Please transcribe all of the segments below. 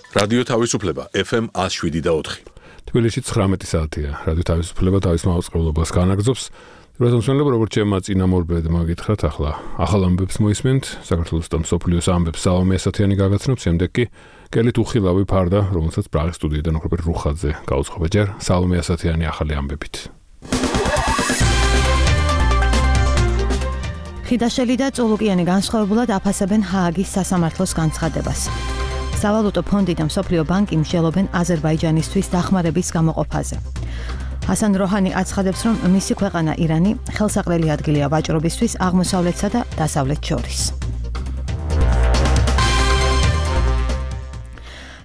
რადიო თავისუფლება FM 107.4. თბილისში 19 საათია. რადიო თავისუფლება თავის მაუწყებლობას განაგრძობს. რუსეთმცველებმა როგორც ჩემმა წინამორბედმა გითხრათ, ახლა ახალ ამბებს მოისმენთ. საქართველოს და მსოფლიოს ამბებს სალომე ასათიანი გაგაცნობს, შემდეგ კი კელით უხილავი ფარდა, რომელსაც პრაღის სტუდიიდან ოქროპერ რუხაძე გაუძღობა ჯერ სალომე ასათიანი ახალი ამბებით. ხიდაშელი და წულუკიანი განსხვავებულად აფასებენ ჰააგის სასამართლოს განცხადებას. სავალუტო ფონდი და მსოფლიო ბანკი მსჯელობენ აზერბაიჯანისთვის დახმარების გამოყოფაზე. ჰასან როჰანი აცხადებს, რომ მისი ქვეყანა ირანი ხელსაყრელი ადგილია ვაჭრობისთვის აღმოსავლეთსა და დასავლეთს შორის.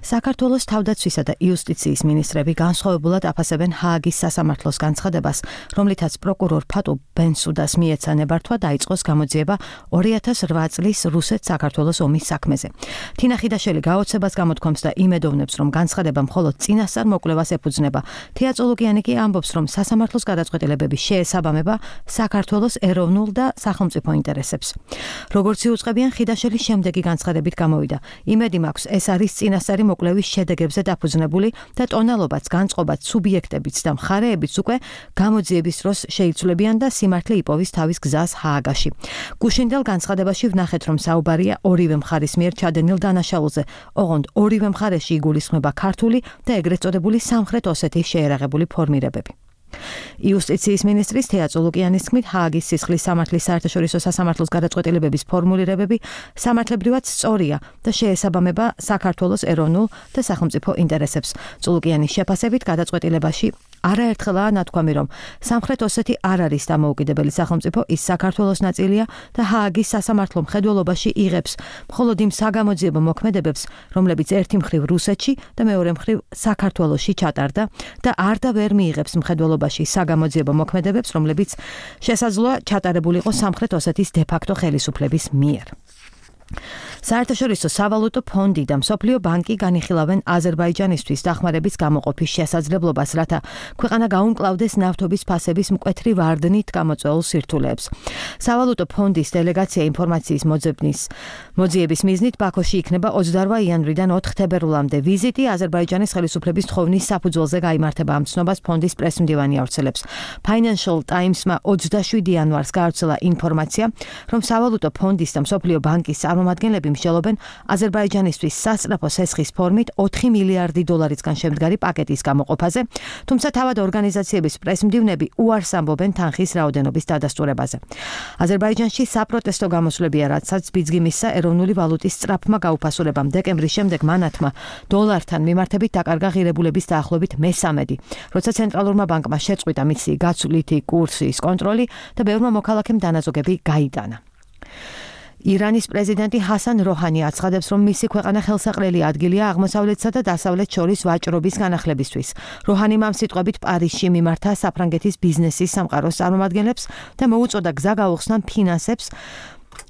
საქართველოს თავდაცვისა და იუსტიციის მინისტრები განსხვავებულად აფასებენ ჰააგის სასამართლოს განცხადებას, რომლითაც პროკურორ ფატუ ბენსუდას მიეცა ნებართვა დაიწყოს გამოძიება 2008 წლის რუსეთ-საქართველოს ომის საქმეზე. თინა ხიდაშელი გაოცებას გამოთქვამს და იმედოვნებს, რომ განცხადება მხოლოდ წინასწარ მოკვლევას ეფუძნება. თია წულუკიანი კი ამბობს, რომ სასამართლოს გადაწყვეტილებების შეესაბამება საქართველოს ეროვნულ და სახელმწიფო ინტერესებს. როგორც იუწყებიან, ხიდაშელი შემდეგი განცხადებით გამოვიდა. იმედი მაქვს, ეს არის წინასწარი მოკვლევის შედეგებზე დაფუძნებული და ტონალობაც, განწყობაც, სუბიექტებიც და მხარეებიც უკვე გამოძიების დროს შეიცვლებიან და სიმართლე იპოვის თავის გზას ჰააგაში. გუშინდელ განცხადებაში ვნახეთ, რომ საუბარია ორივე მხარის მიერ ჩადენილ დანაშაულზე, ოღონდ ორივე მხარეში იგულისხმება ქართული და ეგრეთ წოდებული სამხრეთ ოსეთის შეერაღებული ფორმირებები. იუსტიციის მინისტრის თეა წულუკიანის თქმით, ჰააგის სისხლის სამართლის საერთაშორისო სასამართლოს გადაწყვეტილებების ფორმულირებები სამართლებრივად სწორია და შეესაბამება საქართველოს ეროვნულ და სახელმწიფო ინტერესებს. წულუკიანის შეფასებით გადაწყვეტილებაში არაერთხელაა ნათქვამი, რომ სამხრეთ ოსეთი არ არის დამოუკიდებელი სახელმწიფო, ის საქართველოს ნაწილია და ჰააგის სასამართლო მხედველობაში იღებს მხოლოდ იმ საგამოძიებო მოქმედებებს, რომლებიც ერთი მხრივ რუსეთში და მეორე მხრივ საქართველოში ჩატარდა და არ და ვერ მიიღებს მხედველობაში საგამოძიებო მოქმედებებს, რომლებიც შესაძლოა ჩატარებულიყო სამხრეთ ოსეთის დე-ფაქტო ხელისუფლების მიერ. საერთაშორისო სავალუტო ფონდი და მსოფლიო ბანკი განიხილავენ აზერბაიჯანისთვის დახმარების გამოყოფის შესაძლებლობას, რათა ქვეყანა გაუმკლავდეს ნავთობის ფასების მკვეთრი ვარდნით გამოწვეულ სირთულეებს. სავალუტო ფონდის დელეგაცია ინფორმაციის მოძიების მიზნით ბაქოში იქნება 28 იანვრიდან 4 თებერვლამდე. ვიზიტი აზერბაიჯანის ხელისუფლების თხოვნის საფუძველზე გაიმართება. ამ ცნობას ფონდის პრესმდივანი ავრცელებს. Financial Times-მა 27 იანვარს გაავრცელა ინფორმაცია, რომ სავალუტო ფონდის და მსოფლიო ბანკის წარმომადგენლები მსჯელობენ აზერბაიჯანისთვის სასწრაფო სესხის ფორმით 4 მილიარდი დოლარისგან შემდგარი პაკეტის გამოყოფაზე, თუმცა თავად ორგანიზაციების პრესმდივნები უარს ამბობენ თანხის რაოდენობის დადასტურებაზე. აზერბაიჯანში საპროტესტო გამოსვლებია, რაცაც ბიძგი მისცა ეროვნული ვალუტის სწრაფმა გაუფასურებამ. დეკემბრის შემდეგ მანათმა დოლართან მიმართებით დაკარგა ღირებულების დაახლოებით მესამედი, როცა ცენტრალურმა ბანკმა შეწყვიტა მისი გაცვლითი კურსის კონტროლი და ბევრმა მოქალაქემ დანაზოგები გაიტანა. ირანის პრეზიდენტი ჰასან როჰანი აცხადებს, რომ მისი ქვეყანა ხელსაყრელი ადგილია აღმოსავლეთსა და დასავლეთს შორის ვაჭრობის განახლებისთვის. როჰანიმ ამ სიტყვებით პარიზში მიმართა საფრანგეთის ბიზნესის სამყაროს წარმომადგენლებს და მოუწოდა გზა გაუხსნან ფინანსებს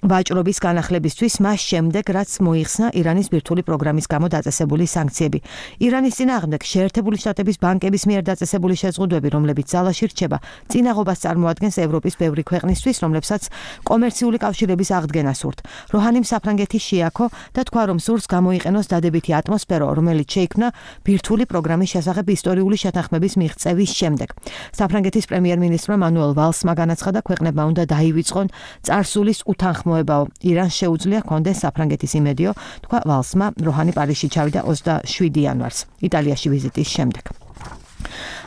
ვაჭრობის განახლებისთვის, მას შემდეგ, რაც მოიხსნა ირანის ბირთვული პროგრამის გამო დაწესებული სანქციები. ირანის წინააღმდეგ შეერთებული შტატების ბანკების მიერ დაწესებული შეზღუდვები, რომლებიც ძალაში რჩება, წინაღობას წარმოადგენს ევროპის ბევრი ქვეყნისთვის, რომლებსაც კომერციული კავშირების აღდგენა სურთ. როჰანიმ საფრანგეთის შეაქო და თქვა, რომ სურს გამოიყენოს დადებითი ატმოსფერო, რომელიც შეიქმნა ბირთვული პროგრამის შესახებ ისტორიული შეთანხმების მიღწევის შემდეგ. საფრანგეთის პრემიერ-მინისტრმა მანუელ ვალსმა განაცხადა, ქვეყნებმა უნდა დაივიწყონ წარსულის უთანხმოებაო. ირანს შეუძლია ჰქონდეს საფრანგეთის იმედიო, თქვა ვალსმა. როჰანი პარიზში ჩავიდა 27 იანვარს, იტალიაში ვიზიტის შემდეგ.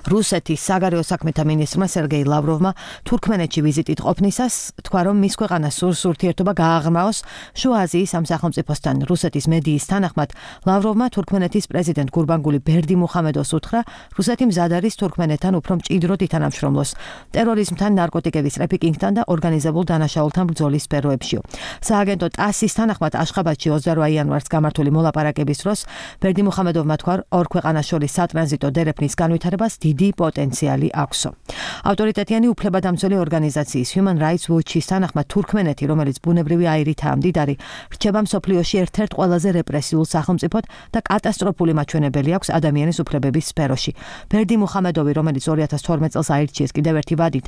რუსეთის საგარეო საქმეთა მინისტრმა სერგეი ლავროვმა თურქმენეთში ვიზიტით ყოფნისას თქვა, რომ მის ქვეყანას სურს ურთიერთობა გააღრმაოს შუა აზიის ამ სახელმწიფოსთან. რუსეთის მედიის თანახმად ლავროვმა თურქმენეთის პრეზიდენტ გურბანგული ბერდიმუხამედოვს უთხრა, რუსეთი მზად არის თურქმენეთთან უფრო მჭიდროდ ითანამშრომლოს ტერორიზმთან, ნარკოტიკების ტრაფიკინგთან და ორგანიზებულ დანაშაულთან ბრძოლის სფეროებშიო. სააგენტო ტასის თანახმად აშხაბადში 28 იანვარს გამართული მოლაპარაკების დროს ბერდიმუხამედოვმა თქვა, ორ ქვეყანას შორის სატრანზიტო დერეფნის განვითარებას დიდი პოტენციალი აქვსო. ავტორიტეტიანი უფლებადამცველი ორგანიზაციის Human Rights Watch-ის თანახმად თურქმენეთი, რომელიც ბუნებრივი აირითაა მდიდარი, რჩება მსოფლიოში ერთ-ერთ ყველაზე რეპრესიულ სახელმწიფოდ და კატასტროფული მაჩვენებელი აქვს ადამიანის უფლებების სფეროში. ბერდიმუხამედოვი, რომელიც 2012 წელს აირჩიეს კიდევ ერთი ვადით,